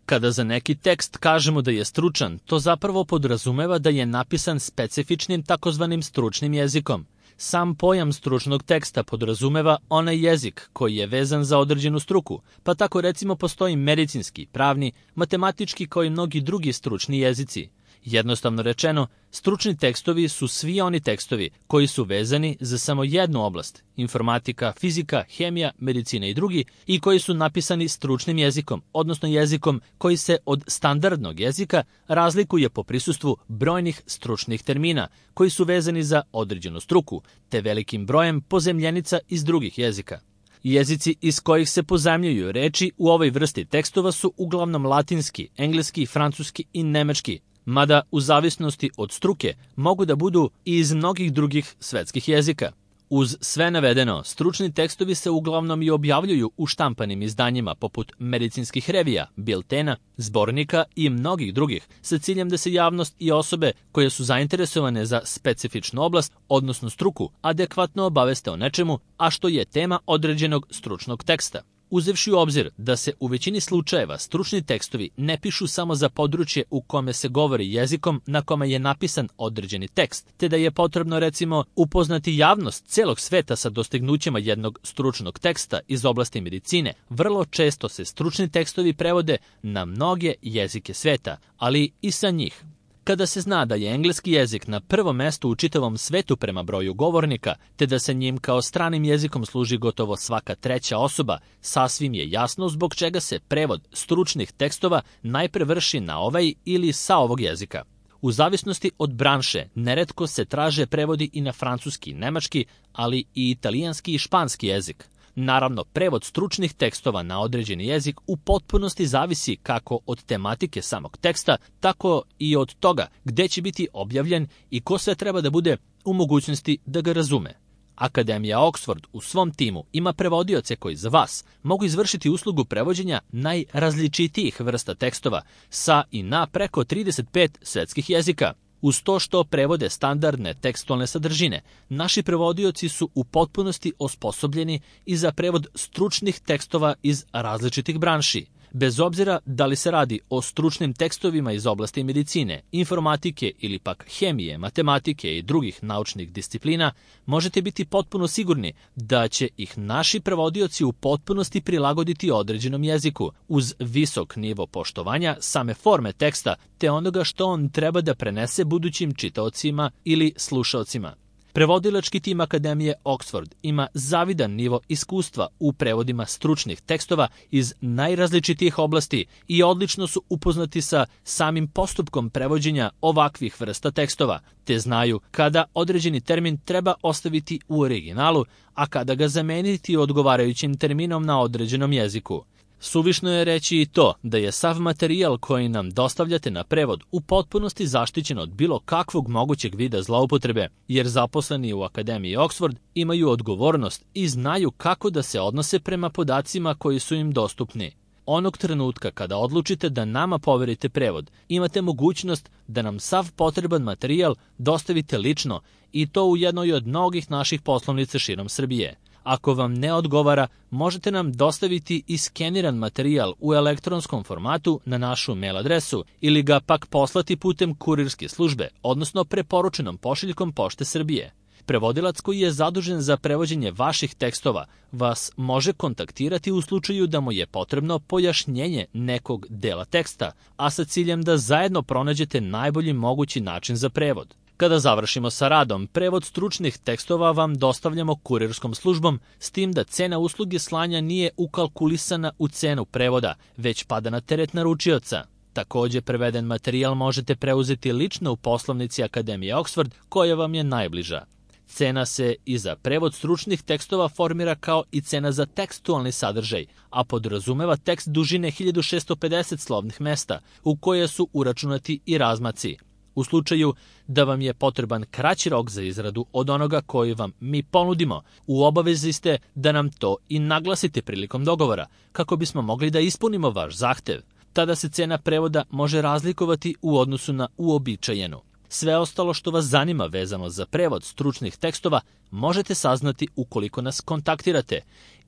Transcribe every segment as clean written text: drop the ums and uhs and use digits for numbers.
Kada za neki tekst kažemo da je stručan, to zapravo podrazumeva da je napisan specifičnim takozvanim stručnim jezikom. Sam pojam stručnog teksta podrazumeva onaj jezik koji je vezan za određenu struku, pa tako recimo postoji medicinski, pravni, matematički kao i mnogi drugi stručni jezici. Jednostavno rečeno, stručni tekstovi su svi oni tekstovi koji su vezani za samo jednu oblast, informatika, fizika, hemija, medicina i drugi, i koji su napisani stručnim jezikom, odnosno jezikom koji se od standardnog jezika razlikuje po prisustvu brojnih stručnih termina, koji su vezani za određenu struku, te velikim brojem pozemljenica iz drugih jezika. Jezici iz kojih se pozajmljuju reči u ovoj vrsti tekstova su uglavnom latinski, engleski, francuski i nemački, mada u zavisnosti od struke mogu da budu i iz mnogih drugih svetskih jezika. Uz sve navedeno, stručni tekstovi se uglavnom i objavljuju u štampanim izdanjima poput medicinskih revija, biltena, zbornika i mnogih drugih, sa ciljem da se javnost i osobe koje su zainteresovane za specifičnu oblast, odnosno struku, adekvatno obaveste o nečemu, a što je tema određenog stručnog teksta. Uzevši u obzir da se u većini slučajeva stručni tekstovi ne pišu samo za područje u kome se govori jezikom na kome je napisan određeni tekst, te da je potrebno recimo upoznati javnost celog sveta sa dostignućima jednog stručnog teksta iz oblasti medicine, vrlo često se stručni tekstovi prevode na mnoge jezike sveta, ali i sa njih. Kada se zna da je engleski jezik na prvom mestu u čitavom svetu prema broju govornika, te da se njim kao stranim jezikom služi gotovo svaka treća osoba, sasvim je jasno zbog čega se prevod stručnih tekstova najpre vrši na ovaj ili sa ovog jezika. U zavisnosti od branše, neretko se traže prevodi i na francuski, nemački, ali i italijanski i španski jezik. Naravno, prevod stručnih tekstova na određeni jezik u potpunosti zavisi kako od tematike samog teksta, tako i od toga gde će biti objavljen i ko sve treba da bude u mogućnosti da ga razume. Akademija Oxford u svom timu ima prevodioce koji za vas mogu izvršiti uslugu prevođenja najrazličitijih vrsta tekstova sa i na preko 35 svetskih jezika. Uz to što prevode standardne tekstualne sadržine, naši prevodioci su u potpunosti osposobljeni i za prevod stručnih tekstova iz različitih branši. Bez obzira da li se radi o stručnim tekstovima iz oblasti medicine, informatike ili pak hemije, matematike i drugih naučnih disciplina, možete biti potpuno sigurni da će ih naši prevodioci u potpunosti prilagoditi određenom jeziku, uz visok nivo poštovanja same forme teksta te onoga što on treba da prenese budućim čitaocima ili slušaocima. Prevodilački tim Akademije Oxford ima zavidan nivo iskustva u prevodima stručnih tekstova iz najrazličitijih oblasti i odlično su upoznati sa samim postupkom prevođenja ovakvih vrsta tekstova, te znaju kada određeni termin treba ostaviti u originalu, a kada ga zameniti odgovarajućim terminom na određenom jeziku. Suvišno je reći i to da je sav materijal koji nam dostavljate na prevod u potpunosti zaštićen od bilo kakvog mogućeg vida zloupotrebe, jer zaposleni u Akademiji Oxford imaju odgovornost i znaju kako da se odnose prema podacima koji su im dostupni. Onog trenutka kada odlučite da nama poverite prevod, imate mogućnost da nam sav potreban materijal dostavite lično i to u jednoj od mnogih naših poslovnica širom Srbije. Ako vam ne odgovara, možete nam dostaviti i skeniran materijal u elektronskom formatu na našu mail adresu ili ga pak poslati putem kurirske službe, odnosno preporučenom pošiljkom Pošte Srbije. Prevodilac koji je zadužen za prevođenje vaših tekstova vas može kontaktirati u slučaju da mu je potrebno pojašnjenje nekog dela teksta, a sa ciljem da zajedno pronađete najbolji mogući način za prevod. Kada završimo sa radom, prevod stručnih tekstova vam dostavljamo kurirskom službom, s tim da cena usluge slanja nije ukalkulisana u cenu prevoda, već pada na teret naručioca. Takođe, preveden materijal možete preuzeti lično u poslovnici Akademije Oxford, koja vam je najbliža. Cena se i za prevod stručnih tekstova formira kao i cena za tekstualni sadržaj, a podrazumeva tekst dužine 1650 slovnih mesta, u koje su uračunati i razmaci. U slučaju da vam je potreban kraći rok za izradu od onoga koji vam mi ponudimo, u obavezi ste da nam to i naglasite prilikom dogovora, kako bismo mogli da ispunimo vaš zahtev. Tada se cena prevoda može razlikovati u odnosu na uobičajenu. Sve ostalo što vas zanima vezano za prevod stručnih tekstova možete saznati ukoliko nas kontaktirate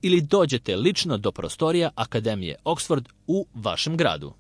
ili dođete lično do prostorija Akademije Oxford u vašem gradu.